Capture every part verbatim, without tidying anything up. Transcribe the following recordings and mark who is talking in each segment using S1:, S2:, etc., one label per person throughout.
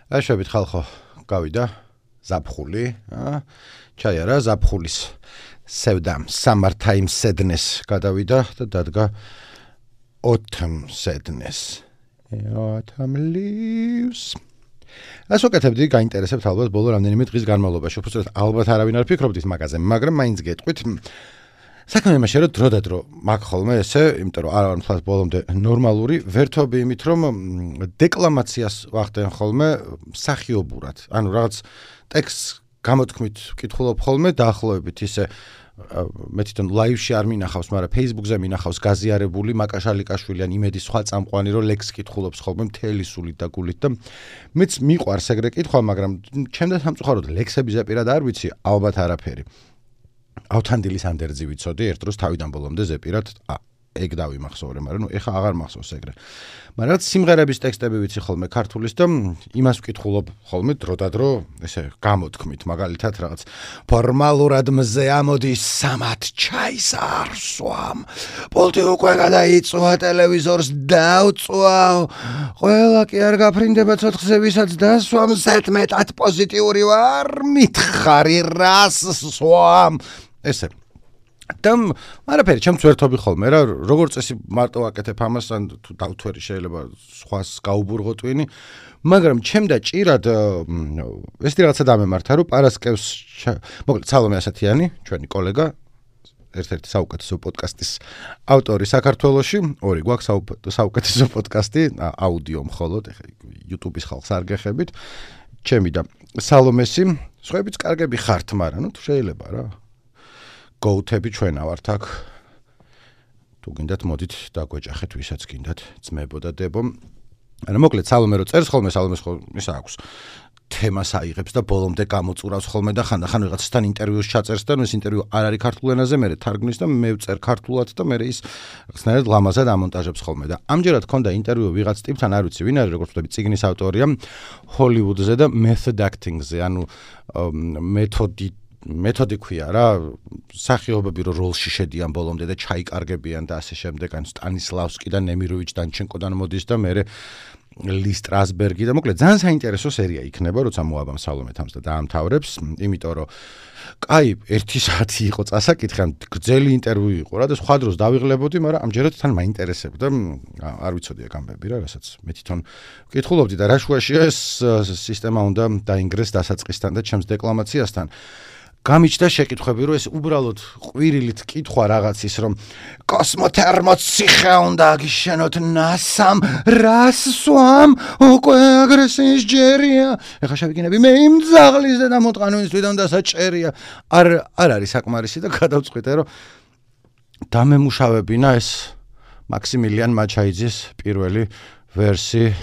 S1: აშვებით ხალხო, გავიდა ზაფხული, აა ჩაიარა ზაფხულის სევდამ Summer Time Sadness გადავიდა და დადგა Autumn Sadness. Autumn leaves. ასე ვკეთებდი, გაინტერესებთ ალბათ ბოლო რამდენიმე დღის განმავლობაში. უბრალოდ ალბათ არავინ არ ფიქრობთ ის მაგაზე, მაგრამ მაინც გეტყვით. საქმე იმაშია, რომ დრო და დრო მაგ ხოლმე ესე, იმიტომ რომ არ ვარ მთლად ბოლომდე ნორმალური, ვერთობი იმით, რომ დეკლამაციას ვახდენ ხოლმე მსახიობურად. ანუ რაღაც ტექსტს გამოთქმით ვკითხულობ ხოლმე დაახლოებით ისე მე თვითონ ლაივში არ მინახავს, მაგრამ Facebook-ზე მინახავს გაზიარებული მაკაშალიკაშვილი ან იმედი სხვა წამყვანი, რომ ლექს კითხულობს ხოლმე მთელი სულით და გულით და მეც მიყვარს ეგრე კითხვა, მაგრამ ჩემთან სამწუხაროდ ლექსების ზეპირად არ ვიცი, ალბათ არაფერი. ავთანდილის ანდერძი ვიცოდი, ერთ დროს თავიდან ბოლომდე ზეპირად ეგ დავიმახსოვრე, მაგრამ ნუ ეხა აღარ მახსოვს ეგრე. მაგრამ სიმღერების ტექსტები ვიცი ხოლმე ქართულის და იმას ვკითხულობ ხოლმე დრო და დრო, ესე გამოთქმით, მაგალითად რაღაც ფორმალურად მზე ამოდის სამათ ჩაის არ სვამ. პოლტი უკვე გადაიწვა, ტელევიზორს დავწვავ. ყველა კი არ გაფრინდება ცოცხლზე, ვისაც დასვამ, ზედმეტად პოზიტიური ვარ, მითხარი რას სვამ. ესე და არაფერი ჩემს ვერთობი ხოლმე რა, როგორც წესი მარტო ვაკეთებ ამას, ან თუ დავთვერი შეიძლება სხვას გაუბურღო ტვინი, მაგრამ ჩემდა ჭირად ესეთი რაღაცა დამემართა, რომ პარასკევს მოკლედ სალომე ასათიანი, ჩვენი კოლეგა, ერთ-ერთი საუკეთესო პოდკასტის ავტორი საქართველოში, ორი გვაქვს საუკეთესო პოდკასტი, აუდიო მხოლოდ, ეხლა YouTube-ის ხალხს არ გეხებით, ჩემი და სალომესი, სხვაებიც კარგები ხართ, მაგრამ ნუ თუ შეიძლება რა. გოუთები ჩვენა ვართ აქ. თუ გინდათ მოდით დაგვეჭახეთ ვისაც გინდათ, ძმებო და დებო. ანუ მოკლედ სალომე რო წერს ხოლმე, სალომეს ხოლმე ისა აქვს. თემას აიღებს და ბოლომდე გამოწურავს ხოლმე და ხანდახან ვიღაცასთან ინტერვიუს ჩაწერს და ეს ინტერვიუ არ არის ქართულ ენაზე, მე თარგმნის და მე ვწერ ქართულად და მე ის რაღაცნაირად ლამაზად ამონტაჟებს ხოლმე და ამჯერად ქონდა ინტერვიუ ვიღაც ტიპთან, არ ვიცი ვინ არის, როგორც ვთქვი, წიგნის ავტორია, ჰოლივუდზე და method acting-ზე, ანუ მეთოდი მეთოდი ქვია რა, სახიობები რო როლში შედიან ბოლომდე და ჩაიკარგებიან და ასე შემდეგ, ან სტანისლავსკი და ნემიროვიჩ დანჩენკოდან მოდის და მე ლის სტრასბერგი და მოკლედ ძალიან საინტერესო სერია იქნება, როცა მოაბამ სალომე თამს და დაამთავრებს, იმიტომ რომ კაი, ერთი საათი იყო წასაკითხი, ან გრძელი ინტერვიუ იყო რა და სხვა დროს დავიღლებოდი, მაგრამ ამჯერად თან მაინტერესებდა, არ ვიცოდი აქ ამბები რა, რასაც მე თვითონ ვკითხულობდი და რა შუაშია ეს სისტემა უნდა დაინგრეს დასაწყისთან და ჩემს დეკლამაციასთან. გამიჩნდა შეკითხვები, რომ ეს უბრალოდ ყვირილით კითხვა რაღაცის, რომ კოსმოთერმოს ციხე უნდა აგიშენოთ ნასამ, რას სვამ, უკვე აგრესიის ჯერია. ეხლა შევიგინები, მე იმ ძაღლის და დამოტყანვის თვითონ დასაჭერია. არ არ არის საკმარისი და გადავწყვიტე, რომ დამემუშავებინა ეს მაქსიმილიან მაჩაიძის პირველი ვერსი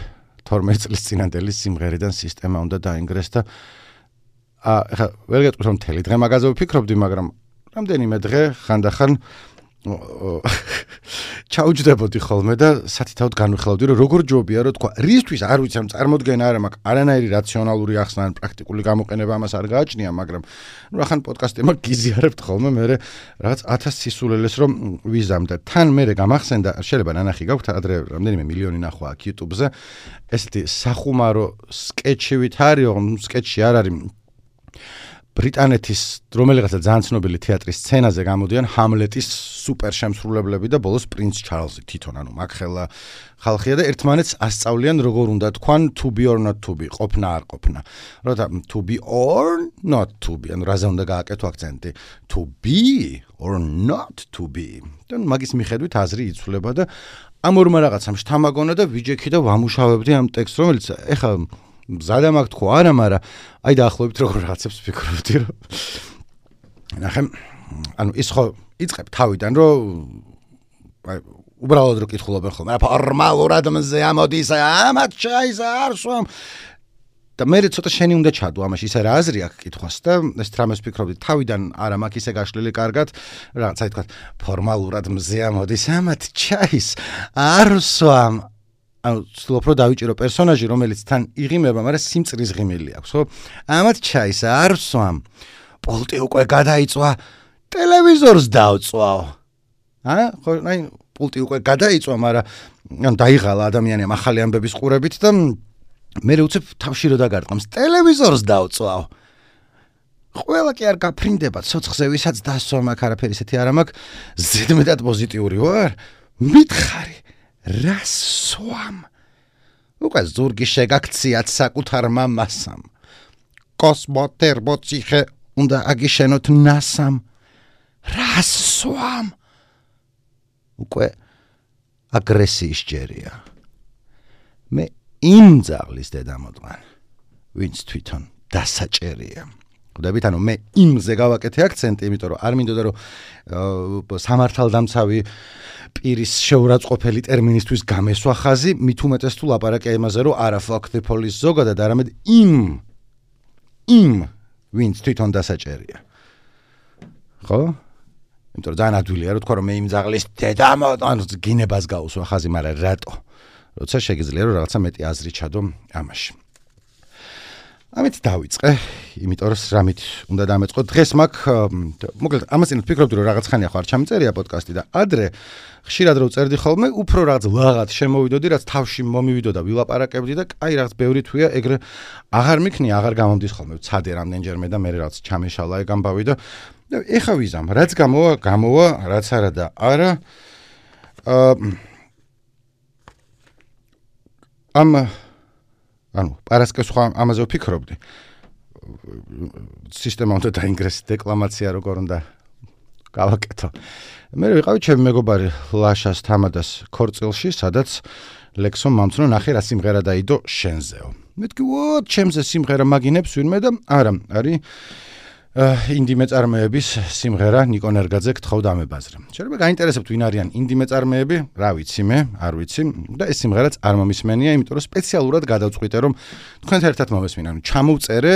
S1: თორმეტ წლის წინანდელი სიმღერიდან სისტემა უნდა დაინგრეს და ახლა ვერ გეტყვით რომ მთელი დღე მაგაზე ვფიქრობდი, მაგრამ რამდენიმე დღე ხანდახან ჩაუჯდებოდი ხოლმე და სათითაოდ განვიხილავდი, რომ როგორ ჯობია, რომ თქვა, რისთვის არ ვიცი, ამ წარმოდგენა არ მაქვს, არანაირი რაციონალური ახსნა ან პრაქტიკული გამოყენება ამას არ გააჩნია, მაგრამ ნუ ახან პოდკასტებმა გიზიარებთ ხოლმე მე რაღაც ათას სისულელეს რომ ვიზამ და თან მე გამახსენდა, შეიძლება ნანახი გაქვთ, ადრე რამდენიმე მილიონი ნახვა აქ YouTube-ზე, ესეთი სახუმარო სკეჩივით არის, სკეჩი არ არის ბრიტანეთის რომელიღაცა ძალიან ცნობილი თეატრის სცენაზე გამოდიან ჰამლეტის სუპერ შემსრულებლები და ბოლოს პრინც ჩარლზი თვითონ, ანუ მაგხელა ხალხია და ერთმანეთს ასწავლიან როგორ უნდა თქვან to be or not to be, ყოფნა არ ყოფნა. როცა to be or not to be, ანუ რაზე უნდა გააკეთო აქცენტი, to be or not to be. და მაგის მიხედვით აზრი იცვლება და ამ ორმა რაღაცამ შთამაგონა და ვიჯექი და ვამუშავებდი ამ ტექსტს, რომელიც ეხლა მზადა მაგ თქვა არა, მაგრამ აი დაახლოებით როგორ რაღაცებს ვფიქრობდი, რომ ნახე, ანუ ის ხო იწყებ თავიდან, რომ აი უბრალოდ რო კითხულობენ ხოლმე, რა ფორმალურად მზე ამოდის, ამათ ჩაის არ სვამ და მე ცოტა შენი უნდა ჩადო ამაში, ისე რა აზრი აქვს კითხვას და ეს რამეს ვფიქრობდი, თავიდან არა მაქვს ისე გაშლილი კარგად, რაღაც აი თქვა ფორმალურად მზე ამოდის, ამათ ჩაის არ სვამ. ანუ ვცდილობ რომ დავიჭირო პერსონაჟი, რომელიც თან იღიმება, მაგრამ სიმწრის ღიმილი აქვს, ხო? ამათ ჩაის არ სვამ. პოლტი უკვე გადაიწვა, ტელევიზორს დავწვავ. აა, ხო, აი, პოლტი უკვე გადაიწვა, მაგრამ ან დაიღალა ადამიანი ახალი ამბების ყურებით და მე უცებ თავში რო დაგარტყამს ტელევიზორს დავწვავ. ყველა კი არ გაფრინდება ცოცხზე ვისაც დასვა მაქვს არაფერი ისეთი არ მაქვს ზედმეტად პოზიტიური ვარ მითხარი რას სვამ უკვე ზურგი შეგაქციათ საკუთარ მამასამ კოსმოთერბოციხე უნდა აგიშენოთ ნასამ რას სვამ უკვე აგრესიის ჯერია მე იმ ძაღლის დედამოდგან ვინც თვითონ დასაჭერია ხვდებით ანუ მე იმზე გავაკეთე აქცენტი იმიტომ რომ არ მინდოდა რომ სამართალდამცავი პირის შეურაცხყოფელი ტერმინისთვის გამესვა ხაზი მით უმეტეს თუ ლაპარაკია იმაზე რომ არა fuck the police ზოგადად არამედ იმ იმ ვინც თვითონ დასაჭერია ხო იმიტომ რომ ძალიან ადვილია რომ თქვა რომ მე იმ ძაღლის დედამოდგან გინებას გაუსვა ხაზი მაგრამ რატო როცა შეგიძლია რომ რაღაცა მეტი აზრი ჩადო ამაში ამით დავიწყე, იმიტომ რომ რამით უნდა დამეწყო. დღეს მაქვს, მოკლედ, ამას წინ ვფიქრობდი რომ რაღაც ხანია ხო არ ჩამიწერია პოდკასტი და ადრე ხშირად რო წერდი ხოლმე, უფრო რაღაც ლაღად შემოვიდოდი, რაც თავში მომივიდოდა, ვილაპარაკებდი და აი რაღაც ბევრი თვია ეგრე აღარ მიქნია, აღარ გამომდის ხოლმე. ვცადე რამდენჯერმე და მე რაღაც ჩამეშალა ეგ ამბავი და ეხა ვიზამ, რაც გამოვა, გამოვა, რაც არა და არა. ამ ანუ პარასკევს ხო ამაზე ვფიქრობდი. სისტემა უნდა დაინგრესო დეკლამაცია როგორ უნდა გავაკეთო. მე ვიყავი ჩემი მეგობარი ლაშას თამადას ქორწილში, სადაც ლექსომ მომცნო ნახე რა სიმღერა დაიდო შენზეო. მეთქი ვო ჩემზე სიმღერა მაგინებს ვინმე და არა, არის ინდი მეწარმეების სიმღერა ნიკო ნერგაძე გთხოვ დამებაზრე. შეიძლება გაინტერესებთ ვინ არიან ინდი მეწარმეები, რა ვიცი მე, არ ვიცი და ეს სიმღერაც არ მომისმენია, იმიტომ რომ სპეციალურად გადავწყვიტე რომ თქვენთან ერთად მომესმინა. ანუ ჩამოვწერე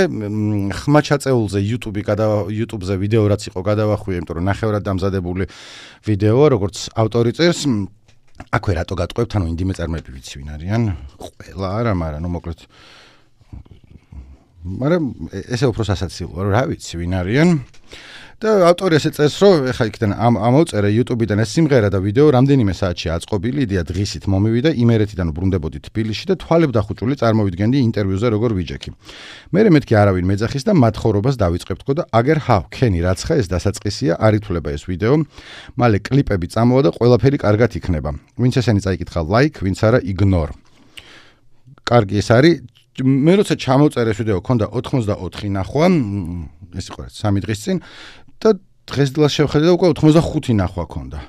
S1: ხმა ჩაწეულზე YouTube-ი გადა YouTube-ზე ვიდეო რაც იყო გადავახვიე, იმიტომ რომ ნახევრად დამზადებული ვიდეოა, როგორც ავტორი წერს. აქვე რატო გატყვევთ, ანუ ინდი მეწარმეები ვიცი ვინ არიან? ყველა არა, მაგრამ ნუ მოკლედ მაგრამ ესე უფრო სასაცილოა რომ რა ვიცი ვინ არიან და ავტორი ესე წერს რომ ეხა იქიდან ამოვწერე YouTube-დან ეს სიმღერა და ვიდეო რამდენიმე საათში აწყობილი იდეა დღისით მომივიდა იმერეთიდან ვბრუნდებოდი თბილისში და თვალებდახუჭული წარმოვიდგენდი ინტერვიუზე როგორ ვიჯექი მერე მეთქი არავინ მეძახის და მათხოვრობას დავიწყებთქო და აგერ ჰავ ქენი რაცხა ეს დასაწყისია არ ითვლება ეს ვიდეო მალე კლიპები წამოვა და ყველაფერი კარგად იქნება ვინც ესენი წაიკითხა like ვინც არა ignore კარგი ეს არის მე როცა ჩამოწერე ეს ვიდეო ქონდა ოცდაოთხი ნახვა ეს იყო სამი დღის წინ და დღეს დილას შევხედე და უკვე ოცდახუთი ნახვა ქონდა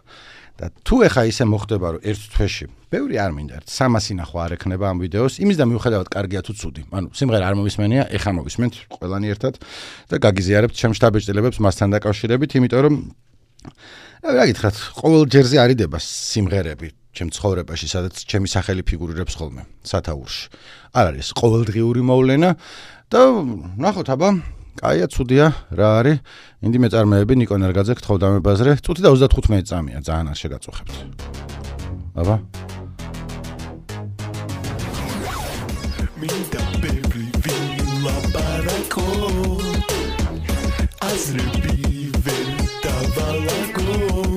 S1: და თუ ეხა ისე მოხდება რომ ერთ თვეში ბევრი არ მინდა სამასი ნახვა არ ექნება ამ ვიდეოს იმის და მიუხედავად კარგია თუ ცუდი ანუ სიმღერა არ მომისმენია ეხა მოვისმენთ ყველანი ერთად და გაგიზიარებთ ჩემ შტაბ-ეჭდილებებს მასთან დაკავშირებით იმიტომ რომ რა გითხრათ ყოველ ჯერზე არიდება სიმღერები ჩემ ცხოვრებაში, სადაც ჩემი სახელი ფიგურირებს ხოლმე სათაურში. არ არის ყოველდღიური მოვლენა და ნახოთ აბა, კაია, ცუდია, რა არის? ინდი მეწარმეები ნიკო ნერგაძე გთხოვ დამებაზრე. წუთი და ოცდათხუთმეტი წამია, ძალიან არ შეგაწუხებთ. აბა. მინდა ბევრი ვილაპარაკო. აზრები ვერ დავალაგო.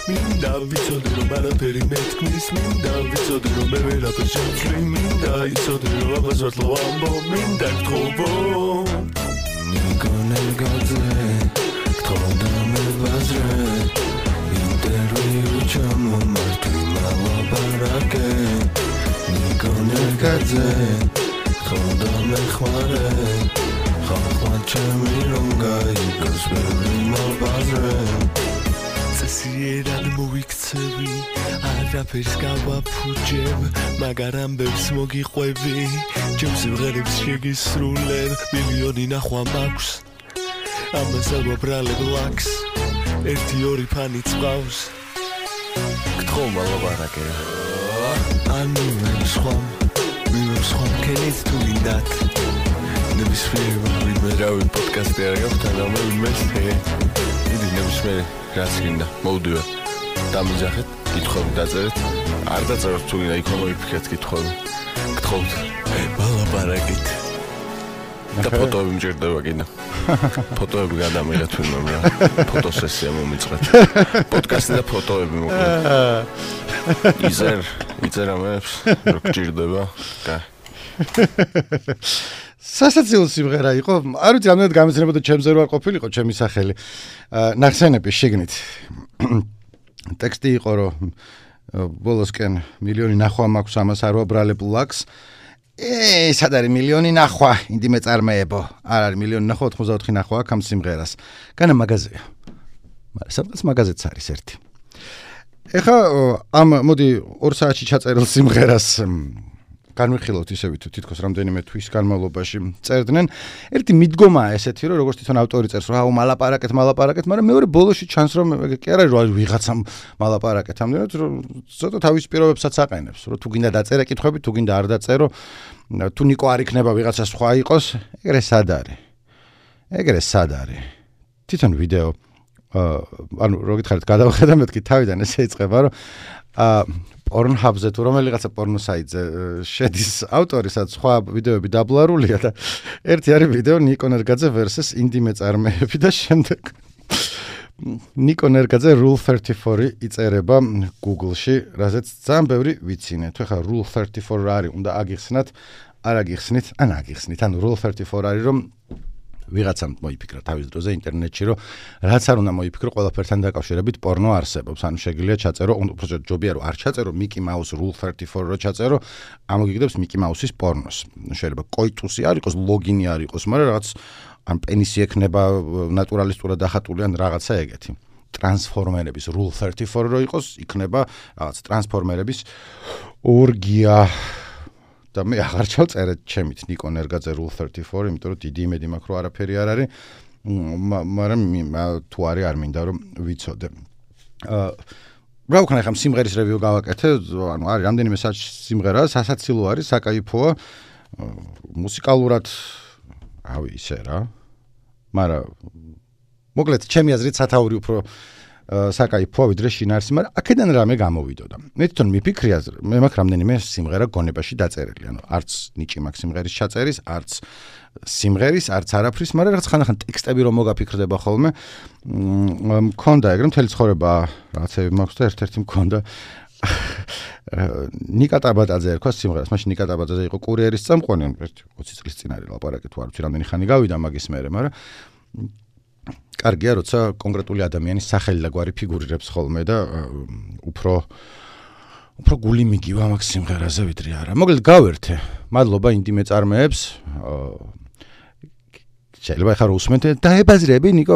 S1: მინდა ვიცოდე რომ არაფერი მეთქმის მინდა ვიცოდე რომ მე ვერაფერ შევცვლი მინდა იცოდე რომ ამას ვარ თლო ამბო მინდა გთხოვო ნიკო ნერგაძე გთხოვ დამებაზრე ინტერვიუ ჩამომართვი მალაპარაკე ნიკო ნერგაძე გთხოვ დამეხმარე ხალხმა ჩემი რომ გაიგოს ბევრი მალბაზრე წესიერად მოვიქცევი არაფერს გავაფუჭებ მაგრამ ბევრს მოგიყვევი ჩემს სიმღერებს შეგისრულებ მილიონი ნახვა მაქვს ამას აგვაბრალებ ლაქს ერთი ორი ფანი წავს გთხოვ მალაპარაკე ანუ მე სხვა მე სხვა კენით თუ მინდათ ნებისმიერ ვიდმე რავი პოდკასტი არ გაქვთ და მე ვიმესე იდი ნებისმიერ რაც გინდა მოვდივარ დამიძახეთ კითხვები დაწერეთ არ დაწეროთ თუ გინდა იქ მოიფიქრეთ კითხვები გთხოვთ მალაპარაკეთ და ფოტოები მჭირდება კიდე ფოტოები გადამიღეთ თვითონ რა ფოტოსესია მომიწყეთ პოდკასტი და ფოტოები მოკლედ იზერ იზერ ამებს რო გჭირდება და სასაცილო სიმღერა იყო. არ ვიცი, რამდენად გამეცნებოდა ჩემზე რო არ ყოფილიყო ჩემი სახელი. ნახსენები შიგნით. ტექსტი იყო რომ ბოლოსკენ მილიონი ნახვა მაქვს ამას არ ვაბრალებ ლაქს. ე, სად არის მილიონი ნახვა, ინდიმე წარმოებო. არ არის მილიონი ნახვა, ოთხმოცდაოთხი ნახვა აქვს ამ სიმღერას. განა მაღაზია. მაგრამ სადღაც მაღაზიაც არის ერთი. ეხა ამ მოდი ორ საათში ჩაწერილ სიმღერას განვიხილოთ ისევ თითქოს რამდენიმე თვის განმავლობაში წერდნენ. ერთი მიდგომაა ესეთი, რომ როგორც თვითონ ავტორი წერს, რომ აუ მალაპარაკეთ, მალაპარაკეთ, მაგრამ მეორე ბოლოში ჩანს, რომ კი არა რომ ვიღაცამ მალაპარაკეთ, ამდენად რომ ცოტა თავის პირობებსაც აყენებს, რომ თუ გინდა დაწერე კითხვები, თუ გინდა არ დაწერო, თუ ნიკო არ იქნება ვიღაცა სხვა იყოს, ეგრე სად არის? ეგრე სად არის? თვითონ ვიდეო ანუ რო გითხარით გადავხედა მეთქი თავიდან ესე იწყება, რომ აა Pornhub-ზე თუ რომელიღაცა პორნო საიტზე შედის ავტორი, სადაც სხვა ვიდეოები დაბლარულია და ერთი არის ვიდეო ნიკო ნერგაძე versus ინდიმე წარმოები და შემდეგ ნიკო ნერგაძე Rule thirty-four იწერება Google-ში, რაზეც ძალიან ბევრი ვიცინე. თუ ხა Rule thirty-four რა არის, უნდა აგიხსნათ, არ აგიხსნით, ან აგიხსნით. ანუ Rule thirty-four არის რომ ვიღაცამ მოიფიქრა თავის დროზე ინტერნეტში, რომ რაც არ უნდა მოიფიქრო, ყველაფერთან დაკავშირებით პორნო არსებობს. ანუ შეგიძლია ჩაწერო, უბრალოდ ჯობია რომ არ ჩაწერო Mickey Mouse Rule thirty-four რო ჩაწერო, ამოგიგდებს Mickey Mouse-ის პორნოს. შეიძლება კოიტუსი არ იყოს, ლოგინი არ იყოს, მაგრამ რაღაც ან პენისი ექნება ნატურალისტურად დახატული ან რაღაცა ეგეთი. ტრანსფორმერების Rule thirty-four რო იყოს, იქნება რაღაც ტრანსფორმერების ორგია. და მე აღარ ჩავწერე ჩემით ნიკო ნერგაძე Rule thirty-four, იმიტომ რომ დიდი იმედი მაქვს რომ არაფერი არ არის, მაგრამ თუ არის არ მინდა რომ ვიცოდე. აა რა ვქნა ხა სიმღერის რევიუ გავაკეთე, ანუ არის რამდენიმე სიმღერა, სასაცილო არის, საკაიფოა, მუსიკალურად რავი ისე რა. მაგრამ მოკლედ ჩემი აზრით სათაური უფრო საკაიფოა ვიდრე შინაარსი, მაგრამ აქედან რამე გამოვიდოდა. მე თვითონ მიფიქრია, მე მაქვს რამდენიმე სიმღერა გონებაში დაწერილი, ანუ არც ნიჭი მაქვს სიმღერის ჩაწერის, არც სიმღერის, არც არაფრის, მაგრამ რაღაც ხანდახან ტექსტები რომ მოგაფიქრდება ხოლმე, მქონდა ეგრე მთელი ცხოვრება რაღაცები მაქვს და ერთ-ერთი მქონდა ნიკა ტაბატაძე ერქვა სიმღერას, მაშინ ნიკა ტაბატაძე იყო კურიერის წამყვანი, ოცი წლის წინ არის ლაპარაკი, თუ არ ვიცი რამდენი ხანი გავიდა მაგის მერე, მაგრამ კარგია, როცა კონკრეტული ადამიანის სახელი და გვარი ფიგურირებს ხოლმე და უფრო უფრო გული მიგივა მაგ სიმღერაზე ვიდრე არა. მოკლედ გავერთე. მადლობა ინდიმე წარმოებს. შეიძლება ხარ უსმენთ და ებაზრები ნიკო,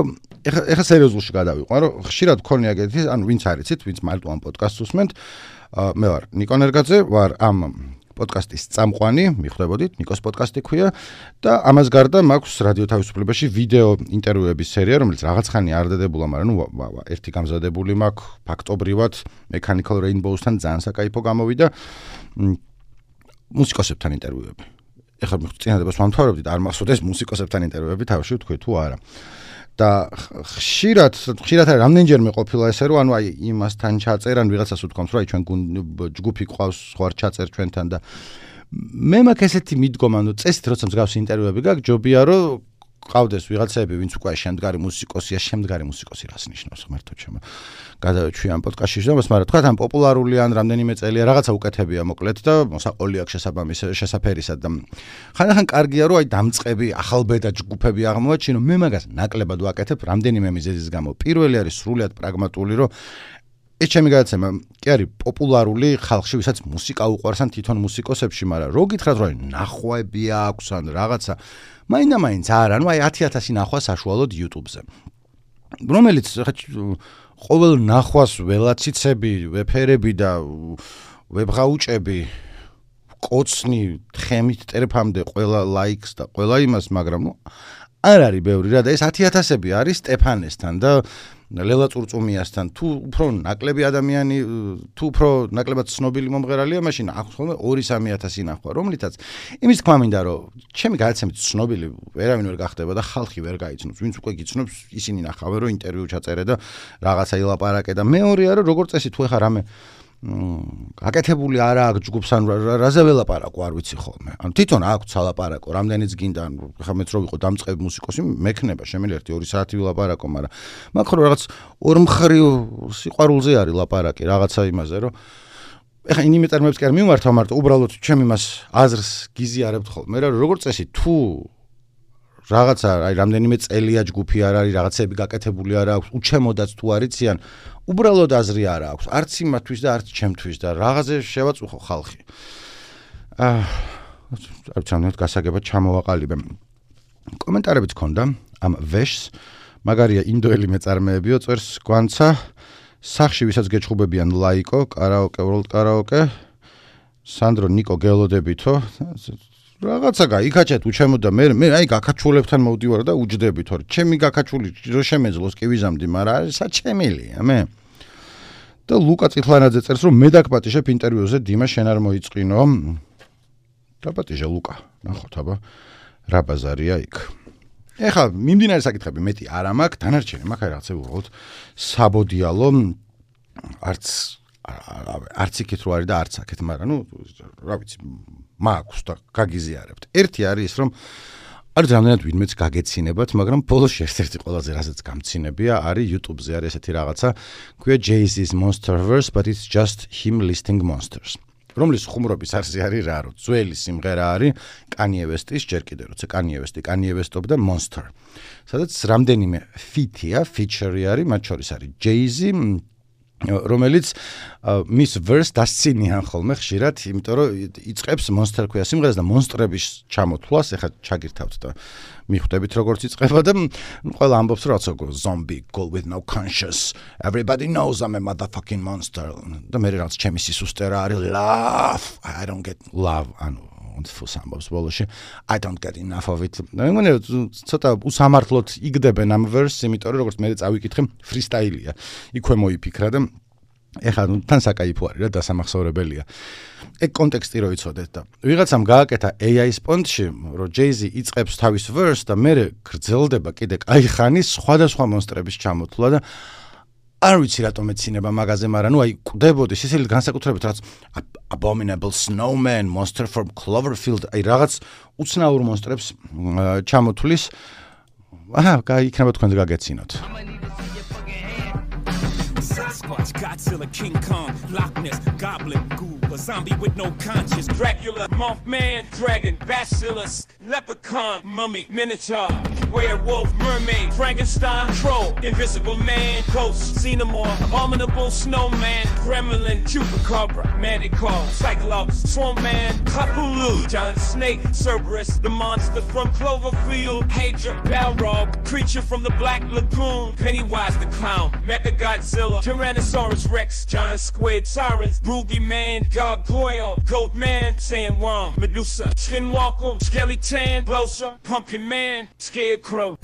S1: ეხა ეხა სერიოზულში გადავიყვან, რომ ხშირად გქონია ეგეთი, ანუ ვინც არიცით, ვინც მარტო ამ პოდკასტს უსმენთ. მე ვარ ნიკო ნერგაძე, ვარ ამ პოდკასტის წამყვანი, მიხვდებოდით, ნიკოს პოდკასტი ქვია და ამას გარდა მაქვს რადიო თავისუფლებაში ვიდეო ინტერვიუების სერია, რომელიც რაღაც ხანი არ დადებულა, მაგრამ ნუ ერთი გამზადებული მაქვს ფაქტობრივად Mechanical Rainbows-თან ძალიან საკაიფო გამოვიდა მუსიკოსებთან ინტერვიუები. ეხლა წინადებას ვამთავრებდით, არ მახსოვს ეს მუსიკოსებთან ინტერვიუები, თავში ვთქვი თუ არა. და ხშირად ხშირად რამდენჯერმე ყოფილა ესე რომ ანუ აი იმასთან ჩაწერან ვიღაცას უთქვამს რომ აი ჩვენ ჯგუფი ყავს სხვა ჩაწერ ჩვენთან და მე მაქვს ესეთი მიდგომა ანუ წესით როცა მსგავსი ინტერვიუები გაქვს ჯობია რომ ყავდეს ვიღაცები ვინც უკვე შემდგარი მუსიკოსია შემდგარი მუსიკოსი რას ნიშნავს ღმერთო ჩემო გადავეჩვი ამ პოდკასტში შედამას მაგრამ თქვა თან პოპულარული ან რამდენიმე წელია რაღაცა უკეთებია მოკლედ და მოსაყოლი აქვს შესაბამის შესაფერისად და ხანდახან კარგია რომ აი დამწყები ახალბედა ჯგუფები აღმოაჩინო მე მაგას ნაკლებად ვაკეთებ რამდენიმე მიზეზის გამო პირველი არის სრულიად პრაგმატული რომ ეს ჩემი გადაცემა კი არის პოპულარული ხალხში ვისაც მუსიკა უყვარს ან თვითონ მუსიკოსებში მაგრამ რო გითხრათ რომ ნახვები აქვს ან რაღაცა მაინდა-მაინც არა, ну აი ათი ათასი ნახვა საშუალოდ YouTube-ზე. რომელიც ყოველ ნახვას ველაციცები, ვეფერები და ვებღაუჭები, კოცნი, თხემით ტერფამდე ყველა ლაიქს და ყველა იმას, მაგრამ ну არ არის ბევრი რა და ეს ათი ათასები არის სტეფანესთან და ლელა წურწუმიასთან თუ უფრო ნაკლები ადამიანი თუ უფრო ნაკლებად ცნობილი მომღერალია მაშინ აქვს ხოლმე ორი სამი ათასი ნახვა რომლითაც იმის თქმა მინდა რომ ჩემი გადაცემით ცნობილი ვერავინ ვერ გახდება და ხალხი ვერ გაიცნობს ვინც უკვე გიცნობს ისინი ნახავენ რომ ინტერვიუ ჩაწერე და რაღაცა ილაპარაკე და მეორეა რომ როგორც წესი თუ ეხა რამე აკეთებული არა აქვს ჯგუფს ან რაზე ველაპარაკო არ ვიცი ხოლმე. ანუ თვითონ აქვს ალაპარაკო, რამდენიც გინდა, ხა მეც რო ვიყო დამწყები მუსიკოსი, მექნება, შემიძლია ერთი ორი საათი ვილაპარაკო, მაგრამ მაგ ხო რაღაც ორმხრივ სიყვარულზე არის ლაპარაკი, რაღაცა იმაზე, რომ ეხა იმ მეწარმეებს კი არ მიმართავ, მარტო უბრალოდ ჩემ იმას აზრს გიზიარებთ ხოლმე რა, როგორც წესი თუ რაღაცა, აი რამდენიმე წელია ჯგუფი არ არის, რაღაცები გაკეთებული არ აქვს, უჩემოდაც თუ არიციან, უბრალოდ აზრი არ აქვს, არც იმათვის და არც ჩემთვის და რაღაცე შევაწუხო ხალხი. აა, არ ვიცი, გასაგებად ჩამოვაყალიბე. კომენტარებიც ქონდა ამ ვეშს, მაგარია ინდოელი მეწარმეებიო, წერს გვანცა, სახში ვისაც გეჩხუბებიან ლაიკო, კარაოკე, world კარაოკე, სანდრო ნიკო გელოდებითო, რაღაცა გაიქაჩეთ უჩემოდა მე მე აი გაკაჩულებთან მოვდივარ და უჯდები თორე ჩემი გაკაჩული რო შემეძლოს კი ვიზამდი მაგრამ საჩემილია მე და ლუკა წიხლანაძე წერს რომ მე დაგპატიჟებ ინტერვიუზე დიმა შენ არ მოიწყინო დაპატიჟე ლუკა ნახოთ აბა რა ბაზარია იქ ეხლა მიმდინარე საკითხები მეტი არ მაქვს დანარჩენი მაქვს აი რაღაცა უბრალოდ საბოდიალო არც არც იქით რო არის და არც აქეთ მაგრამ ნუ რა ვიცი მაქვს და გაგიზიარებთ. ერთი არის ის რომ არის რამდენად ვინმეც გაგეცინებათ, მაგრამ ბოლოს ერთ-ერთი ყველაზე რასაც გამცინებია არის YouTube-ზე არის ესეთი რაღაცა, ქვია Jay-Z's Monsterverse, but it's just him listing monsters. რომლის ხუმრობის არსი არის რა, რომ ძველი სიმღერა არის Kanye West-ის, ჯერ კიდევ როცა Kanye West-ი Kanye West-ობდა Monster. სადაც რამდენიმე feat-ია, feature-ი არის, მათ შორის არის Jay-Z რომელიც მის verse დასცინიან ხოლმე ხშირად, იმიტომ რომ იწყებს Monster ქვია სიმღერას და მონსტრების ჩამოთვლას, ეხლა ჩაგირთავთ და მიხვდებით როგორც იწყება და ყველა ამბობს რომ რაღაცა zombie girl with no conscience, everybody knows I'm a motherfucking monster. და მე რაღაც ჩემი სისუსტე რა არის love, I don't get love, ანუ თუს ამბობს ბოლოში I don't get enough of it. მე მგონია ცოტა უსამართლოდ იგდებენ ამ verse, იმიტომ რომ როგორც მე წავიკითხე freestyle-ია. იქვე მოიფიქრა და ეხლა თან საკაიფო არის რა დასამახსოვრებელია. ეგ კონტექსტი რო იცოდეთ და ვიღაცამ გააკეთა A I სპონდში, რომ Jay-Z იწყებს თავის verse და მე გრძელდება კიდე კაი ხანი სხვადასხვა მონსტრების ჩამოთვლა და არ ვიცი რატომ ეცინება მაგაზე, მაგრამ ნუ აი კვდებოდი სისხლით განსაკუთრებით რაც Abominable Snowman, Monster from Cloverfield, აი რაღაც უცნაურ მონსტრებს ჩამოთვლის. აჰა, იქნება თქვენს გაგეცინოთ.
S2: Sasquatch, Godzilla, King Kong, Loch Ness, Goblin, Ghoul, a zombie with no conscience, Dracula, Mothman, Dragon, Bacillus, Leprechaun, Mummy, Minotaur, Werewolf, Mermaid, Frankenstein, Troll, Invisible Man, Ghost, Xenomorph, Abominable Snowman, Gremlin, Chupacabra, Manticore, Cyclops, Swamp Man, Cthulhu, Giant Snake, Cerberus, the monster from Cloverfield, Hydra, Balrog, creature from the Black Lagoon, Pennywise the Clown, Mechagodzilla, Tyrannosaurus Rex, Giant Squid, Sirens, Ruby Man, Gargoyle, Goat Man, Sandworm, Medusa, Skinwalker, Skeleton, Closer, Pumpkin Man, Scarecrow,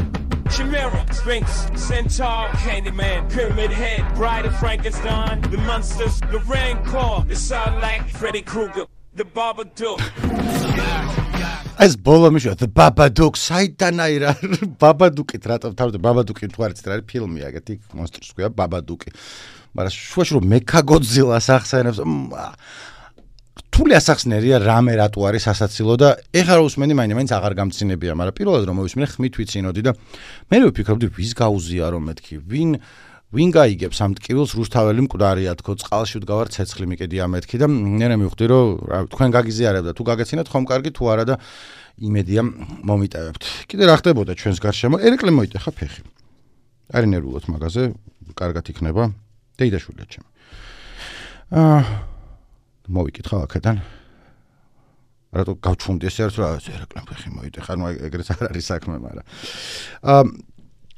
S2: Chimera, Sphinx, Centaur, Candyman, Pyramid Head, Bride of Frankenstein, the Monsters, the Rancor, the Sarlacc, Freddy Krueger, the Babadook.
S1: ეს ბოლო მიშვა The Babadook, საიდან აირა Babadook-ით რატომ თავზე Babadook-ი თუ არ იცით რა არის ფილმია, ეგეთი მონსტრს ქვია Babadook-ი. მაგრამ შუაში რომ Mechagodzilla-ს ახსენებს, რთული ასახსნერია რამე რატო არის სასაცილო და ეხლა რომ უსმენი მაინც აღარ გამცინებია, მაგრამ პირველად რომ მოვისმინე ხმით ვიცინოდი და მე ვფიქრობდი ვის გაუზია რომ მეთქი, ვინ ვინ გაიგებს ამ ტკივილს რუსთაველი მკვდარია თქო წყალში ვდგავარ ცეცხლი მიკედია მეთქი და მე მივხვდი რომ თქვენ გაგიზიარებდა თუ გაგეცინათ ხომ კარგი თუ არა და იმედია მომიტევებთ. კიდე რა ხდებოდა ჩვენს გარშემო? ერეკლე მოიტეხა ფეხი. არი ნერვულად მაგაზე კარგად იქნება. დეიდაშვილია ჩემი. აა მოვიკითხავ აქედან. რატო გავჩუმდი ეს ერთ რა ერეკლე ფეხი მოიტეხა, ნუ ეგრეთ არ არის საქმე, მაგრამ აა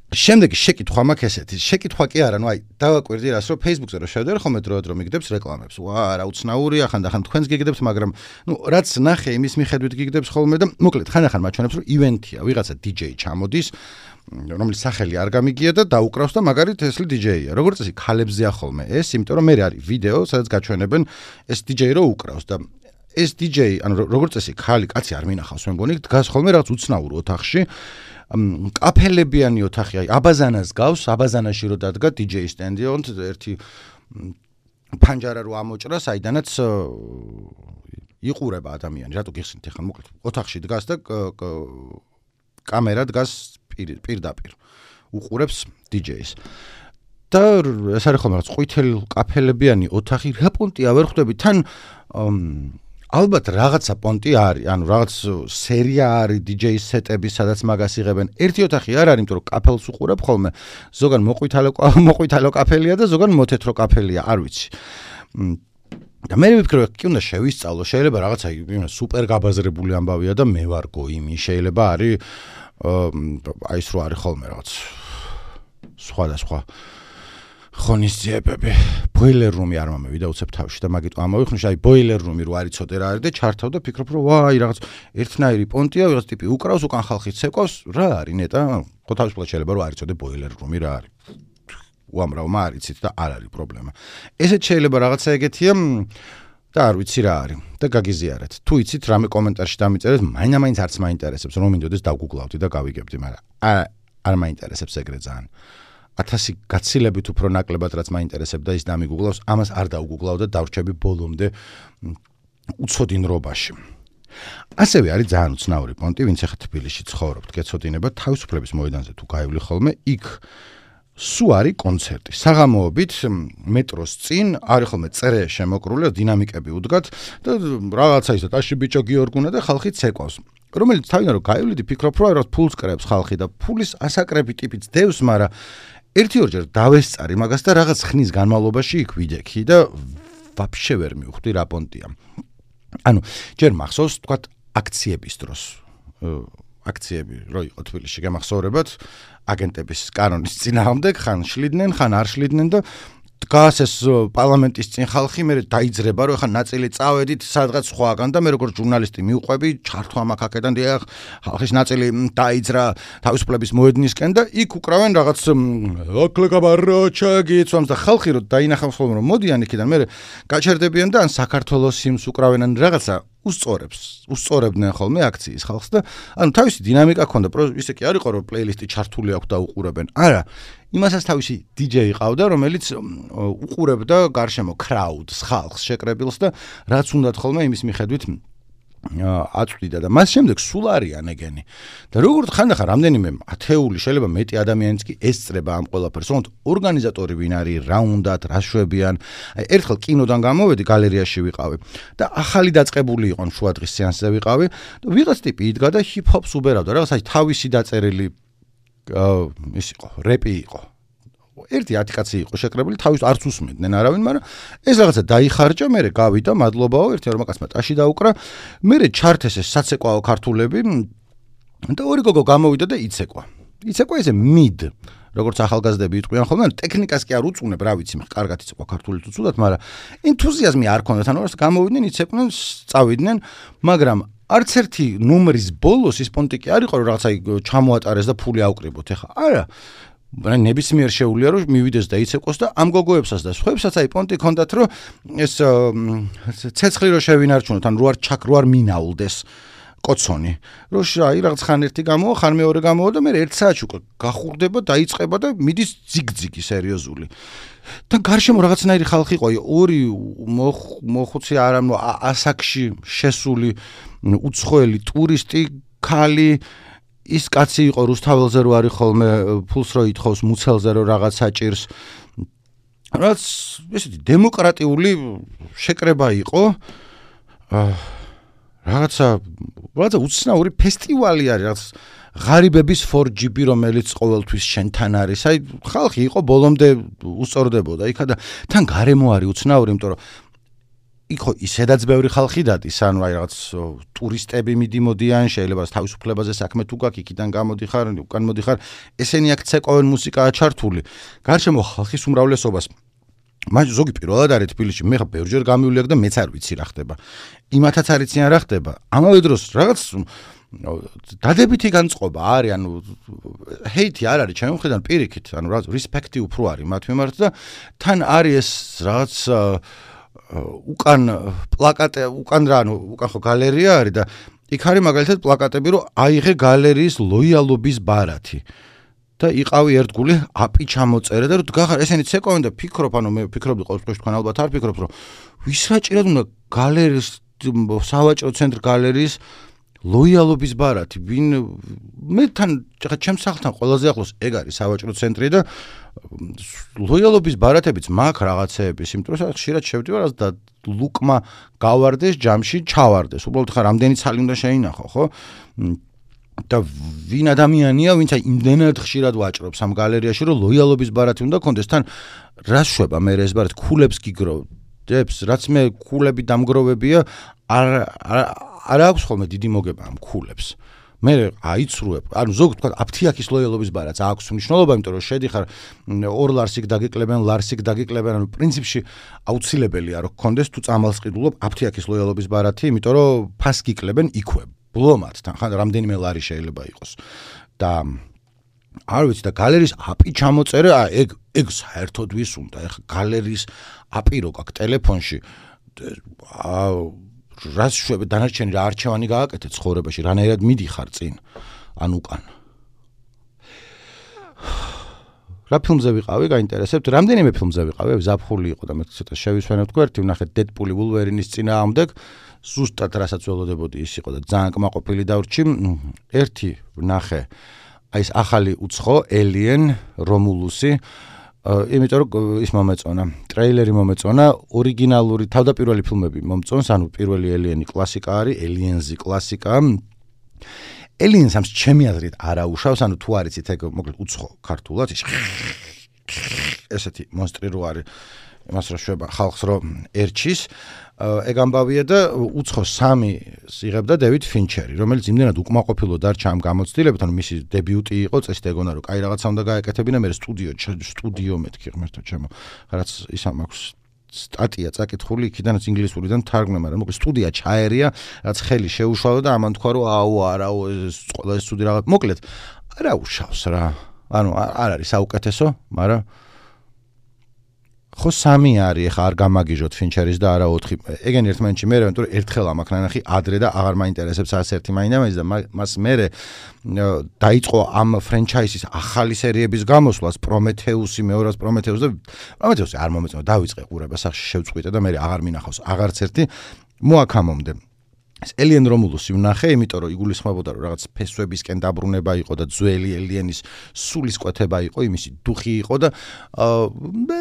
S1: შემდეგი შეკითხვა მაქვს ესეთი, შეკითხვა კი არა, ნუ აი დავაკვირდი რას რომ Facebook-ზე რო შევდივარ ხოლმე დროდადრო მიგდებს რეკლამებს. ვა, რა უცნაურია, ხანდახან თქვენს გიგდებს, მაგრამ ნუ რაც ნახე იმის მიხედვით გიგდებს ხოლმე და მოკლედ ხანდახან მაჩვენებს რომ ივენთია, ვიღაცა დი ჯეი ჩამოდის, რომლის სახელი არ გამიგია და დაუკრავს და მაგარით ესლი დი ჯეია. როგორც წესი ქალებზეა ხოლმე ეს, იმიტომ რომ მე არის ვიდეო, სადაც გაჩვენებენ ეს დი ჯეი რო უკრავს და ეს დი ჯეი, ანუ როგორც წესი ქალი კაცი არ მინახავს, მე მგონი დგას ხოლმე რაღაც უცნაურ ოთახში. კაფელებიანი ოთახი, აი აბაზანას გავს, აბაზანაში რო დადგა დი ჯეი სტენდი, ონთ ერთი პანჯარა რო ამოჭრა, საიდანაც იყურება ადამიანი, რატო გიხსნით ახლა მოკლედ ოთახში დგას და კამერა დგას პირდაპირ. უყურებს დი ჯეის. და ეს არის ხოლმე რაღაც ყვითელ კაფელებიანი ოთახი, რა პონტია ვერ ხვდები, თან ალბათ რაღაცა პონტი არის, ანუ რაღაც სერია არის დიჯეის სეტები, სადაც მაგას იღებენ. ერთი ოთახი არ არის, იმიტომ რომ კაფელს უყურებ ხოლმე, ზოგან მოყვითალო მოყვითალო კაფელია და ზოგან მოთეთრო კაფელია, არ ვიცი. და მე ვფიქრობ, კი უნდა შევისწავლო, შეიძლება რაღაცა სუპერ გაბაზრებული ამბავია და მე ვარ გოიმი, შეიძლება არის აი ეს რო არის ხოლმე რაღაც სხვადასხვა ხონისძიებები. Boiler room-ი არ მომევიდა უცებ თავში და მაგით ამოვიხსნი, აი boiler room-ი რო არ იცოდე რა არის და ჩართავ და ფიქრობ, რომ ვაი რაღაც ერთნაირი პონტია, ვიღაც ტიპი უკრავს, უკან ხალხი ცეკვავს, რა არის ნეტა? ხო თავისუფლად შეიძლება რომ არ იცოდე boiler room-ი რა არის. უამრავმა არ იცით და არ არის პრობლემა. ესეც შეიძლება რაღაცა ეგეთია და არ ვიცი რა არის და გაგიზიარეთ. თუ იცით რამე კომენტარში დამიწერეთ, მაინდა-მაინც არც მაინტერესებს, რომ მინდოდეს დავგუგლავდი და გავიგებდი, მაგრამ არ არ მაინტერესებს ეგრე ძალიან. ათასი გაცილებით უფრო ნაკლებად რაც მაინტერესებდა ის დამიგუგლავს, ამას არ დავგუგლავ და დავრჩები ბოლომდე უცოდინრობაში. ასევე არის ძალიან უცნაური პონტი, ვინც ახლა თბილისში ცხოვრობთ, გეცოდინება თავისუფლების მოედანზე თუ გაივლი ხოლმე, იქ სუ არის კონცერტი. საღამოობით მეტროს წინ არის ხოლმე წერე შემოკრული, დინამიკები უდგათ და რაღაცა ისე ტაში ბიჭო გიორგუნა და ხალხი ცეკვავს. რომელიც თავიდან რომ გაივლიდი, ფიქრობ, რომ რაღაც ფულს კრებს ხალხი და ფულის ასაკრები ტიპიც დევს, მაგრამ ერთი ორჯერ დავესწარი მაგას და რაღაც ხნის განმავლობაში იქ ვიდექი და ვაფშე ვერ მივხვდი რა პონტია. ანუ ჯერ მახსოვს, თქვათ, აქციების დროს. აქციები რო იყო თბილისში გამახსოვრებათ, აგენტების კანონის წინააღმდეგ ხან შლიდნენ, ხან არ შლიდნენ და დგას ეს პარლამენტის წინ ხალხი, მე დაიძრება, რომ ხან ნაწილი წავედით სადღაც სხვაგან და მე როგორც ჟურნალისტი მივყვები, ჩართვა მაქაკედან დიახ, ხალხის ნაწილი დაიძრა თავისუფლების მოედნისკენ და იქ უკრავენ რაღაც აკლებაროჩაგიცვამს და ხალხი რო დაინახავს ხოლმე რომ მოდიან იქიდან, მე გაჩერდებიან და ან საქართველოს იმს უკრავენ ან რაღაცა უსწორებს, უსწორებდნენ ხოლმე აქციის ხალხს და ანუ თავისი დინამიკა ჰქონდა, ისე კი არ იყო რომ პლეილისტი ჩართული აქვს და უყურებენ. არა, იმასაც თავისი დიჯეი ყავდა, რომელიც უყურებდა გარშემო crowd-ს, ხალხს, შეკრებილს და რაც უნდათ ხოლმე იმის მიხედვით აწვდიდა და მას შემდეგ სულ არიან ეგენი. და როგორც ხანდახან რამდენიმე ათეული, შეიძლება მეტი ადამიანიც კი ესწრება ამ ყველაფერს, თუმცა ორგანიზატორი ვინ არის, რა უნდათ, რა შვებიან. აი ერთხელ კინოდან გამოვედი, გალერეაში ვიყავი და ახალი დაწყებული იყო შუადღის სეანსზე ვიყავი და ვიღაც ტიპი იდგა და ჰიპ-ჰოპს უბერავდა, რაღაც აი თავისი დაწერილი ის იყო, რეპი იყო. ერთი ათი კაცი იყო შეკრებილი, თავის არც უსმენდნენ არავინ, მაგრამ ეს რაღაცა დაიხარჯა, მე გავიდა, მადლობაო, ერთი ორმა კაცმა ტაში დაუკრა, მე ჩართეს ეს საცეკვაო ქართულები და ორი გოგო გამოვიდა და იცეკვა. იცეკვა ესე მიდ, როგორც ახალგაზრდები იტყვიან ხოლმე, ტექნიკას კი არ უწუნებ, რა ვიცი, კარგად იცეკვა ქართული თუ ცუდად, მაგრამ ენთუზიაზმი არ ქონდათ, ანუ გამოვიდნენ, იცეკვდნენ, წავიდნენ, მაგრამ არც ერთი ნუმრის ბოლოს ის პონტი კი არ იყო, რომ რაღაცა ჩამოატარეს და ფული აუკრიბოთ, ეხა. არა. ნებისმიერ შეუძლია რომ მივიდეს და იცეკვოს და ამ გოგოებსაც და სხვაებსაც აი პონტი ქონდათ რომ ეს ცეცხლი რო შევინარჩუნოთ ან რო არ ჩაკ რო არ მინაულდეს კოცონი რო აი რაღაც ხან ერთი გამოვა ხან მეორე გამოვა და მე ერთ საათში უკვე გახურდება დაიწყება და მიდის ძიგძიგი სერიოზული და გარშემო რაღაცნაირი ხალხი იყო ორი მოხუცი არა ასაკში შესული უცხოელი ტურისტი ქალი ის კაცი იყო რუსთაველზე რო არის ხოლმე ფულს რო ითხოვს მუცელზე რო რაღაც საჭირს რაც ესეთი დემოკრატიული შეკრება იყო რაღაცა რაღაცა უცნაური ფესტივალი არის რაღაც ღარიბების four G B რომელიც ყოველთვის შენთან არის აი ხალხი იყო ბოლომდე უსწორდებოდა იქა და თან გარემო არის უცნაური იმიტომ რომ იქო ისედაც ბევრი ხალხი დადის, ანუ აი რაღაც ტურისტები მიდიმოდიან, შეიძლება თავისუფლებაზე საქმე თუ გაქვს, იქიდან გამოდიხარ, უკან მოდიხარ, ესენი აქ ცეკვავენ მუსიკაა ჩართული. გარშემო ხალხის უმრავლესობას მაგ ზოგი პირველად არის თბილისში, მე ხა ბევრჯერ გამივლი აქ და მეც არ ვიცი რა ხდება. იმათაც არ იციან რა ხდება. ამავე დროს რაღაც დადებითი განწყობა არის, ანუ ჰეითი არ არის ჩემი მხრიდან პირიქით, ანუ რაღაც რესპექტი უფრო არის მათ მიმართ და თან არის ეს რაღაც უკან პლაკატე უკან რა ანუ უკან ხო გალერეა არის და იქ არის მაგალითად პლაკატები რომ აიღე გალერეის ლოიალობის ბარათი და იყავი ერთგული აპი ჩამოწერე და რომ გახარ ესენი ცეკვავენ და ფიქრობ ანუ მე ვფიქრობდი ყოველთვის თქვენ ალბათ არ ფიქრობთ რომ ვის რაჭირად უნდა გალერეის სავაჭრო ცენტრ გალერეის ლოიალობის ბარათი ვინ მე თან ხა ჩემს სახლთან ყველაზე ახლოს ეგ არის სავაჭრო ცენტრი და ლოიალობის ბარათებიც მაქვს რაღაცეების, იმიტომ რომ ხშირად შევდივარ და ლუკმა გავარდეს ჯამში ჩავარდეს. უბრალოდ ხა რამდენი ცალი უნდა შეინახო, ხო? და ვინ ადამიანია, ვინც აი იმდენად ხშირად ვაჭრობს ამ გალერეაში, რომ ლოიალობის ბარათი უნდა კონდეს. თან რას შვება მე ეს ბარათი ქულებს გიგროვდებს, რაც მე ქულები დამგროვებია, არ არ აქვს ხოლმე დიდი მოგება ამ ქულებს. მე აიცრუებ, ანუ ზოგ თქვა აფთიაქის ლოიალობის ბარათს აქვს მნიშვნელობა, იმიტომ რომ შედიხარ ორ ლარს იქ დაგიკლებენ, ლარს იქ დაგიკლებენ, ანუ პრინციპში აუცილებელია რომ გქონდეს თუ წამალს ყიდულობ აფთიაქის ლოიალობის ბარათი, იმიტომ რომ ფას გიკლებენ იქვე, ბლომატთან, ხან რამდენიმე ლარი შეიძლება იყოს. და არ ვიცი და გალერიის აპი ჩამოწერა, ეგ ეგ საერთოდ ვის უნდა, ეხა გალერიის აპი რო გაქვს ტელეფონში, რას შვებ დანარჩენი რა არჩევანი გააკეთე ცხოვრებაში, რანაირად მიდიხარ წინ ან უკან. რა ფილმზე ვიყავი, გაინტერესებთ? რამდენიმე ფილმზე ვიყავი, ზაფხული იყო და მე ცოტა შევისვენებ თქვა, ერთი ვნახე დედპული ვულვერინის წინააღმდეგ, ზუსტად რასაც ველოდებოდი ის იყო და ძალიან კმაყოფილი დავრჩი. ერთი ვნახე აი ეს ახალი უცხო Alien Romulus-ი, იმიტომ რომ ის მომეწონა, ტრეილერი მომეწონა, ორიგინალური თავდაპირველი ფილმები მომწონს, ანუ პირველი Alien-ი კლასიკა არის, Aliens-ი კლასიკა. Aliens-ს ჩემი აზრით არ აუშავს, ანუ თუ არ იცით ეგ მოკლედ უცხო ქართულად, ესეთი მონსტრი რო არის, იმას რო შვება ხალხს რო ერჩის, ეგ ამბავია და უცხო სამი იღებდა დევიდ ფინჩერი, რომელიც იმდენად უკმაყოფილო დარჩა ამ გამოცდილებით, ანუ მისი დებიუტი იყო, წესით ეგონა რომ კაი რაღაცა უნდა გაეკეთებინა, მე სტუდიო სტუდიო მეთქი ღმერთო ჩემო, რაც ისა მაქვს სტატია წაკითხული იქიდანაც ინგლისურიდან თარგმნა, მაგრამ მოკლედ სტუდია ჩაერია, რაც ხელი შეუშალა და ამან თქვა რომ აუ არაო ეს ყველა ეს სტუდია რაღაც მოკლედ არ აუშავს რა. ანუ არ არის საუკეთესო, მაგრამ ხო სამი არის, ხა არ გამაგიჟოთ ფინჩერის და არა ოთხი. ეგენი ერთმანეთში მე რა, თორე ერთხელ ამაკ ნანახი ადრე და აღარ მაინტერესებს არც ერთი მაინდა-მაინც და მას მე დაიწყო ამ ფრენჩაიზის ახალი სერიების გამოსვლას, პრომეთეუსი, მეორას პრომეთეუსი და პრომეთეუსი არ მომეწონა, დავიწყე ყურება, სახში შევწყვიტე და მე აღარ მინახავს აღარც ერთი მოაქამომდე. ეს Alien Romulus-ი ვნახე, იმიტომ რომ იგულისხმებოდა რომ რაღაც ფესვებისკენ დაბრუნება იყო და ძველი Alien-ის სულისკვეთება იყო, იმისი დუხი იყო და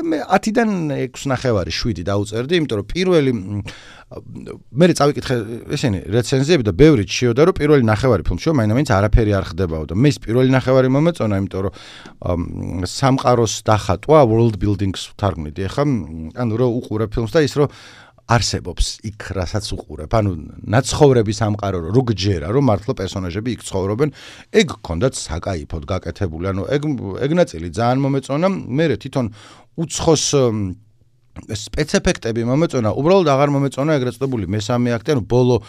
S1: მე ათიდან ექვსი ნახევარი შვიდი დაუწერდი, იმიტომ რომ პირველი მე წავიკითხე ესენი რეცენზიები და ბევრი ჩიოდა რომ პირველი ნახევარი ფილმში მაინც არაფერი არ ხდებაო და მე ის პირველი ნახევარი მომეწონა, იმიტომ რომ სამყაროს დახატვა, world building-ს ვთარგმნიდი ახლა, ანუ რომ უყურებ ფილმს და ის რომ არსებობს იქ რასაც უყურებ, ანუ ნაცხოვრების სამყარო რო გჯერა, რომ მართლა პერსონაჟები იქ ცხოვრობენ, ეგ გქონდათ საკაიფოდ გაკეთებული, ანუ ეგ ეგ ნაწილი ძალიან მომეწონა, მე თვითონ უცხოს სპეცეფექტები მომეწონა, უბრალოდ აღარ მომეწონა ეგრეთ წოდებული მესამე აქტი, ანუ ბოლო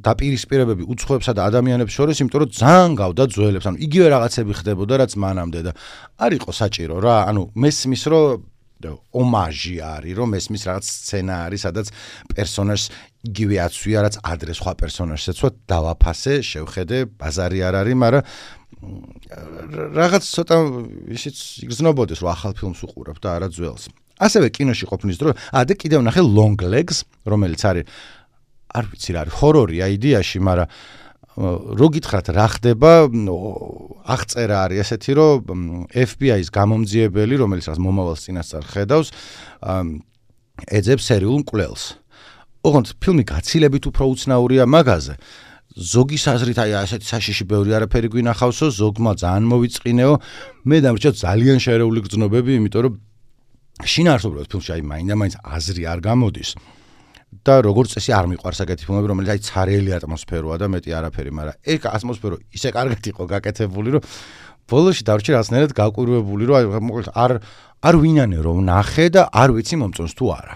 S1: დაპირისპირებები უცხოებსა და ადამიანებს შორის, იმიტომ რომ ძალიან გავდა ძველებს, ანუ იგივე რაღაცები ხდებოდა, რაც მანამდე და არ იყო საჭირო რა, ანუ მესმის რომ ომაჟი არის, რომ ესმის რაღაც სცენა არის, სადაც პერსონაჟს იგივე აცვია, რაც ადრე სხვა პერსონაჟს ეცვა, დავაფასე, შევხედე, ბაზარი არ არის, მაგრამ რაღაც ცოტა ისიც იგრძნობოდეს, რომ ახალ ფილმს უყურებ და არა ძველს. ასევე კინოში ყოფნის დროს, ა და კიდევ ნახე Long Legs, რომელიც არის არ ვიცი რა არის, ჰორორია იდეაში, მაგრამ რო გითხრათ რა ხდება, აღწერა არის ესეთი, რომ F B I-ის გამომძიებელი, რომელიც რაც მომავალს წინასწარ ხედავს, ეძებს სერიულ მკვლელს. ოღონდ ფილმი გაცილებით უფრო უცნაურია მაგაზე. ზოგის აზრით აი ასეთი საშიში ბევრი არაფერი გვინახავსო, ზოგმა ძალიან მოვიწყინეო, მე დამრჩა ძალიან შერეული გრძნობები, იმიტომ რომ შინაარსობრივად ფილმში აი მაინდა-მაინც აზრი არ გამოდის. და როგორც წესი არ მიყვარს ეგეთი ფილმები, რომელიც აი ცარიელი ატმოსფეროა და მეტი არაფერი, მაგრამ ეგ ატმოსფერო ისე კარგად იყო გაკეთებული, რომ ბოლოში დავრჩი რაღაცნაირად გაკვირვებული, რომ აი მოკლედ არ არ ვინანე რომ ნახე და არ ვიცი მომწონს თუ არა.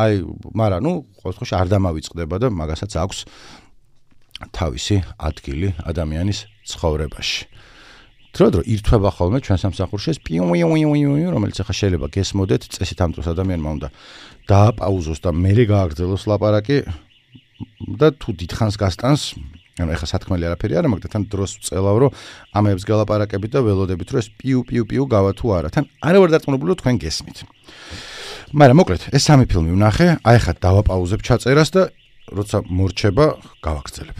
S1: აი, მაგრამ ნუ ყოველთვის არ დამავიწყდება და მაგასაც აქვს თავისი ადგილი ადამიანის ცხოვრებაში. დრო-დრო ირთვება ხოლმე ჩვენ სამსახურში ეს პიუ-პიუ-პიუ, რომელიც ახლა შეიძლება გესმოდეთ, წესით ამ დროს ადამიანმა უნდა დააპაუზოს და მერე გააგრძელოს ლაპარაკი და თუ დიდხანს გასტანს, ანუ ახლა სათქმელი არაფერი არა, მაგრამ თან დროს ვწელავ, რომ ამებს გალაპარაკებით და ველოდებით, რომ ეს პიუ-პიუ-პიუ გავა თუ არა, თან არა ვარ დარწმუნებული, რომ თქვენ გესმით. მაგრამ მოკლედ, ეს სამი ფილმი ვნახე, აი ახლა დავაპაუზებ ჩაწერას და როცა მორჩება, გავაგრძელებ.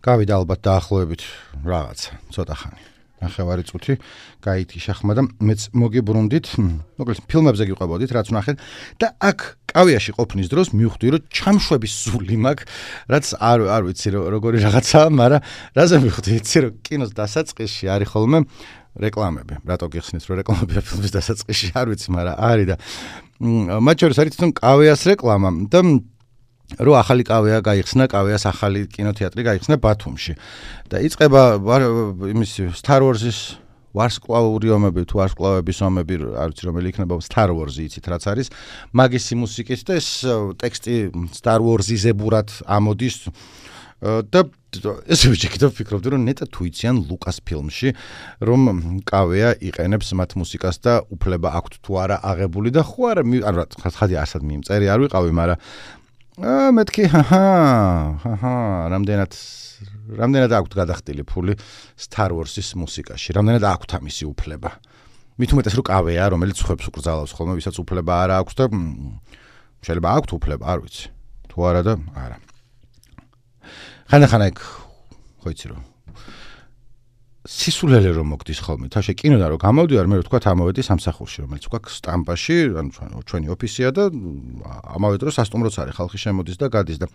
S1: გავიდა ალბათ დაახლოებით რაღაცა, ცოტა ხანი. ნახევარი წუთი გაითიშა ხმა და მეც მოგიბრუნდით, მოკლედ ფილმებზე გიყვებოდით, რაც ვნახეთ და აქ კავიაში ყოფნის დროს მივხვდი, რომ ჩამშვების სული მაქვს, რაც არ არ ვიცი როგორი რაღაცაა, მაგრამ რაზე მივხვდი, იცი რომ კინოს დასაწყისში არის ხოლმე რეკლამები. რატო გიხსნით, რომ რეკლამებია ფილმის დასაწყისში, არ ვიცი, მაგრამ არის და მათ შორის არის თვითონ კავეას რეკლამა და რო ახალი კავეა გაიხსნა, კავეას ახალი კინოთეატრი გაიხსნა ბათუმში. და იწყება იმის Star Wars-ის ვარსკვლავური ომები, თუ ვარსკვლავების ომები, არ ვიცი რომელი იქნება, Star Wars-ი იცით რაც არის. მაგისი მუსიკით და ეს ტექსტი Star Wars-იზებურად ამოდის და ესე ვიჭიქით და ვფიქრობდი, რომ ნეტა თუ იციან ლუკას ფილმში, რომ კავეა იყენებს მათ მუსიკას და უფლება აქვთ თუ არა აღებული და ხო არა, არა, ხადი ასად მიმწერი არ ვიყავი, მაგრამ აა მეთქი, ჰაჰა, ჰაჰა, რამდენად რამდენად აქვთ გადახდილი ფული Star Wars-ის მუსიკაში, რამდენად აქვთ ამისი უფლება. მით უმეტეს რომ კავეა, რომელიც ხვებს უკრძალავს ხოლმე, ვისაც უფლება არა აქვს და შეიძლება აქვთ უფლება, არ ვიცი. თუ არა და არა. ხანახანა იქ ხო იცი რომ სისულელე რომ მოგდის ხოლმე, თავში კინოდან რომ გამოვდივარ, მე ვთქვა ამოვედი სამსახურში, რომელიც გვაქვს სტამპაში, ანუ ჩვენი ოფისია და ამავე დროს სასტუმროც არის, ხალხი შემოდის და გადის და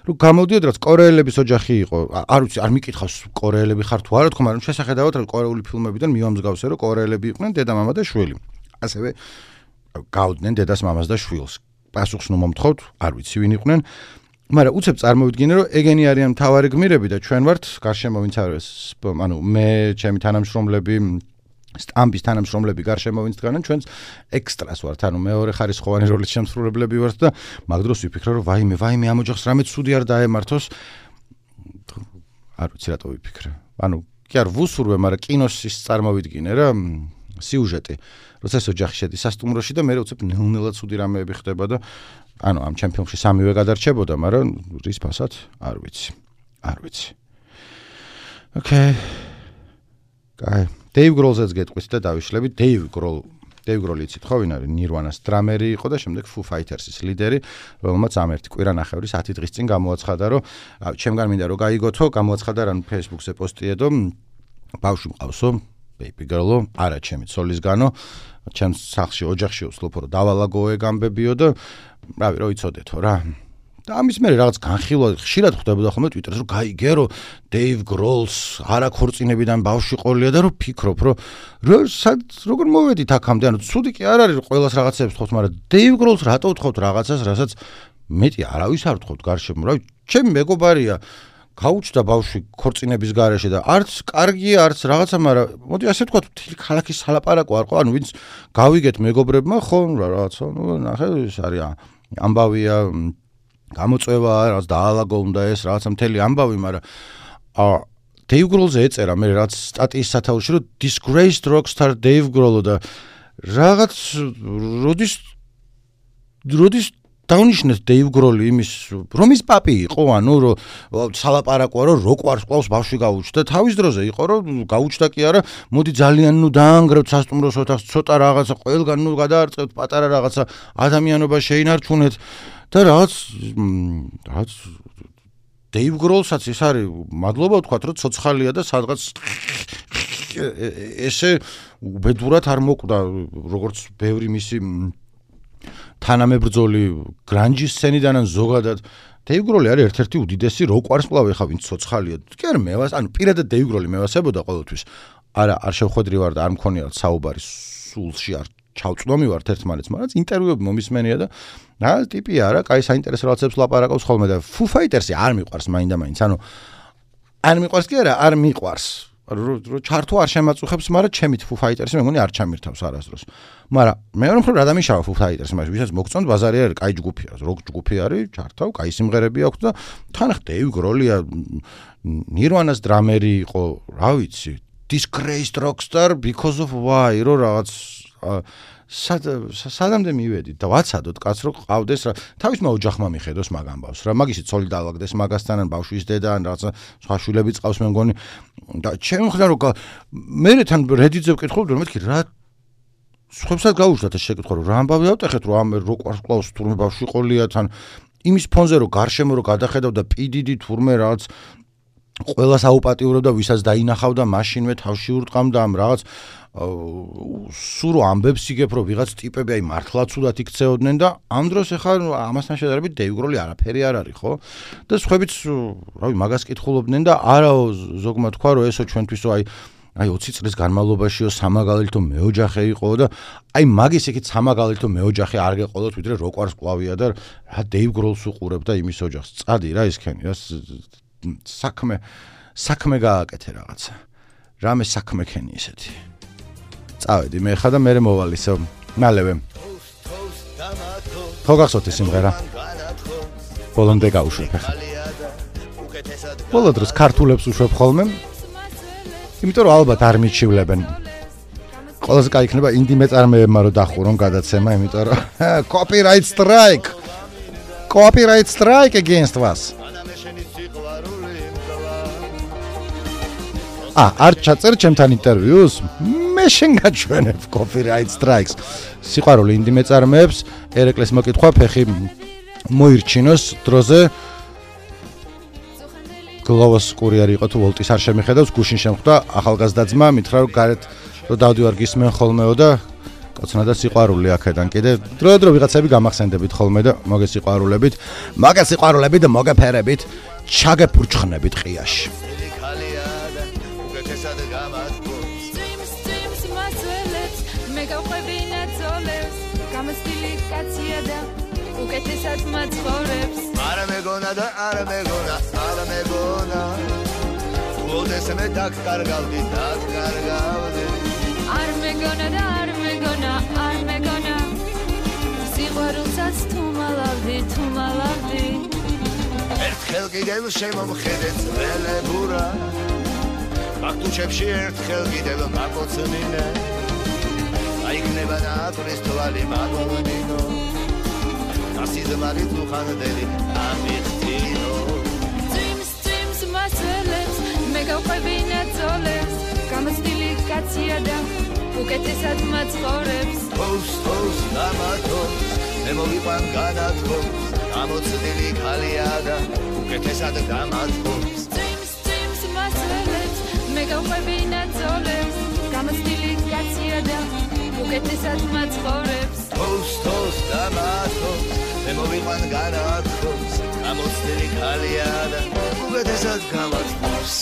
S1: რომ გამოვდიოდ რაც კორეელების ოჯახი იყო, არ ვიცი, არ მიკითხავს კორეელები ხარ თუ არა, თქო, მაგრამ შესახედავად რომ კორეული ფილმებიდან მივამსგავსე, რომ კორეელები იყვნენ დედა-მამა და შვილი. ასევე გავდნენ დედას, მამას და შვილს. პასუხს ნუ მომთხოვთ, არ ვიცი ვინ იყვნენ. მაგრამ უცებ წარმოვიდგინე რომ ეგენი არიან მთავარი გმირები და ჩვენ ვართ გარშემო ვინც არის ანუ მე ჩემი თანამშრომლები სტამპის თანამშრომლები გარშემო ვინც დგანან ჩვენს ექსტრას ვართ ანუ მეორე ხარისხოვანი როლის შემსრულებლები ვართ და მაგ დროს ვიფიქრე რომ ვაიმე ვაიმე ამ ოჯახს რამე ცუდი არ დაემართოს არ ვიცი რატო ვიფიქრე ანუ კი არ ვუსურვე მაგრამ კინოს ის წარმოვიდგინე რა სიუჟეტი როცა ეს ოჯახი შედის სასტუმროში და მე უცებ ნელ-ნელა ცუდი რამეები ხდება და ანუ ამ ჩემ ფილმში სამივე გადარჩებოდა, მაგრამ რის ფასად არ ვიცი. არ ვიცი. ოკეი. კაი. Dave Grohl-ზეც გეტყვით და დავიშლებით. Dave Grohl, Dave Grohl იცით ხო ვინ არის? Nirvana-ს დრამერი იყო და შემდეგ Foo Fighters-ის ლიდერი, რომელმაც ამ ერთი კვირანახევრის ათი დღის წინ გამოაცხადა, რომ ჩემგან მინდა რომ გაიგოთო, გამოაცხადა რა Facebook-ზე პოსტიედო, ბავშვი მყავსო, baby girl-ო, არა ჩემი ცოლისგანო, ჩემს სახლში ოჯახში ვსლოფო რომ დავალაგოე გამბებიო და რავი რო იცოდეთო რა და ამის მერე რაღაც განხილვა ხშირად ხდებოდა ხოლმე Twitter-ზე რომ გაიგე რომ Dave Grohl-ს არა ქორწინებიდან ბავშვი ყოლია და რომ ფიქრობ რომ როგორ მოვედით აქამდე ანუ ცუდი კი არ არის რომ ყველას რაღაცებს ვთხოვთ მაგრამ Dave Grohl-ს რატო ვთხოვთ რაღაცას რასაც მეტი არავის არ ვთხოვთ გარშემო რავი ჩემი მეგობარია გაუჩნდა ბავშვი ქორწინების გარეშე და არც კარგია არც რაღაცა მაგრამ მოდი ასე ვთქვათ მთელი ქალაქის სალაპარაკო არ ყო ანუ ვინც გავიგეთ მეგობრებმა ხო რაღაცა ნუ ნახე ის არის ამბავია გამოწვევა რაც დაალაგო უნდა ეს რაღაცა მთელი ამბავი მაგრამ აა Dave Grohl-ზე ეწერა მე რაც სტატიის სათაურში რომ disgraced rockstar Dave Grohl და რაღაც როდის როდის დაუნიშნეს Dave Grohl იმის რომ ის პაპი იყო ანუ რომ სალაპარაკოა რომ რო ყვარს ყავს ბავშვი გაუჩნდა თავის დროზე იყო რომ გაუჩნდა კი არა მოდი ძალიან ნუ დაანგრევთ სასტუმროს ოთახს ცოტა რაღაცა ყველგან ნუ გადაარწევთ პატარა რაღაცა ადამიანობა შეინარჩუნეთ და რაღაც რაღაც Dave Grohl-საც ის არის მადლობა ვთქვათ რომ ცოცხალია და სადღაც ესე უბედურად არ მოკვდა როგორც ბევრი მისი თანამებრძოლი გრანჯის სცენიდან ან ზოგადად Dave Grohl არის ერთ-ერთი უდიდესი როკვარს კლავ ეხა ვინც ცოცხალია კი არა მევას ანუ პირადად Dave Grohl მევასებოდა ყოველთვის არა არ შევხვედრი ვარ და არ მქონია საუბარი სულში არ ჩავწვდომი ვარ ერთმანეთს მაგრამ ინტერვიუები მომისმენია და რა ტიპია რა კაი საინტერესო რაღაცებს ლაპარაკობს ხოლმე და Foo Fighters-ი არ მიყვარს მაინდა-მაინც ანუ არ მიყვარს კი არა არ მიყვარს რო ჩართო არ შემაწუხებს, მაგრამ ჩემით Foo Fighters-ი მეგონი არ ჩამირთავს არასდროს. მაგრამ მეორე მხრივ რა დამიშავა Foo Fighters-ი, მაგრამ ვისაც მოგწონთ ბაზარი არის, კაი ჯგუფია, როკ ჯგუფი არის, ჩართავ, კაი სიმღერები აქვს და თან Dave Grohl-ია Nirvana-ს დრამერი იყო, რა ვიცი, disgraced rockstar because of why, რო რაღაც სადამდე მივედით და ვაცადოთ კაც რო ყავდეს რა თავისმა ოჯახმა მიხედოს მაგ ამბავს რა მაგისი ცოლი დაალაგდეს მაგასთან ან ბავშვის დედა ან რაღაცა სხვა შვილები წავს მე მგონი და ჩემ ხედავ რომ მე თან Reddit-ზე ვკითხულობ რომ მეთქი რა სხვებსაც გაუშვათ ეს შეკითხვა რომ რა ამბავი ავტეხეთ რომ ამ რო ყვარს კლავს თურმე ბავშვი ყოლია თან იმის ფონზე რომ გარშემო რო გადახედავ და პი დი დი თურმე რაღაც ყველას აუპატიურებდა, ვისაც დაინახავდა, მაშინვე თავში ურტყამდა ამ რაღაც სურო ამბებს იგებ, რომ ვიღაც ტიპები აი მართლა ცუდად იქცეოდნენ და ამ დროს ახლა ამასთან შედარებით დეივ გროლი არაფერი არ არის, ხო? და სხვაებიც, რავი, მაგას კითხულობდნენ და არაო ზოგმა თქვა, რომ ესო ჩვენთვისო აი აი ოცი წლის განმავლობაშიო სამაგალითო მეოჯახე იყო და აი მაგის იქით სამაგალითო მეოჯახე არ გეყოლოთ, ვიდრე როკვარს კლავია და რა დეივ გროლს უყურებ და იმის ოჯახს. წადი რა ისქენი, რა საქმე საქმე გააკეთე რაღაცა. რამე საქმე ქენი ისეთი. წავედი მე ხა და მე მოვალისო მალევე. ხო გახსოვთ ეს სიმღერა? ბოლომდე გავუშვებ ხა. ბოლო დროს ქართულებს უშვებ ხოლმე. იმიტომ რომ ალბათ არ მიჩივლებენ. ყველაზე კაი იქნება ინდი მეწარმეებმა რომ დახურონ გადაცემა, იმიტომ რომ copyright strike. Copyright strike against us. ა, არ ჩაწერ ჩემთან ინტერვიუს? მე შენ გაჩვენებ copyright strikes. სიყვარული ინდი მეწარმეებს, ერეკლეს მოკითხვა ფეხი მოირჩინოს დროზე. გლოვოს კურიერი იყო თუ ვოლტის არ შემიხედავს, გუშინ შემხვდა ახალგაზრდა ძმა, მითხრა რომ გარეთ რომ დავდივარ გისმენ ხოლმეო და კოცნა და სიყვარული აქედან კიდე დრო-დრო ვიღაცები გამახსენდებით ხოლმე და მოგესიყვარულებით, მოგესიყვარულებით და მოგეფერებით, ჩაგეფურჩხნებით ყიაში.
S3: უკეთესად მაცხოვრებს არა მეგონა და არა მეგონა არა მეგონა ულდეს მე დაკარგავდი დაკარგავდი არ მეგონა და არ მეგონა არ მეგონა სიყვარულსაც თუ მალავდი თუ მალავდი ერთხელ კიდევ შემომხედე წველებურა მაგტუჩებში ერთხელ კიდევ მაკოცმინე აიქნება ნატურის თვალი მაგონინო Asizmari tuxandeli amixtino Dreams dreams მასელებს მე გავყვებინა ძოლებს გამოცდილი კაცია და უკეთესად მაცხოვრებს Post post გამათობს მე მოვიყვან განათხოვს გამოცდილი ქალია და უკეთესად გამათხოვს Dreams dreams მასელებს მე გავყვებინა ძოლებს გამოცდილი კაცია და უკეთესად მაცხოვრებს Post post გამათობს მე მოვიყვან განათხოვს გამოცდილი ქალია და უკეთესად გამათხოვს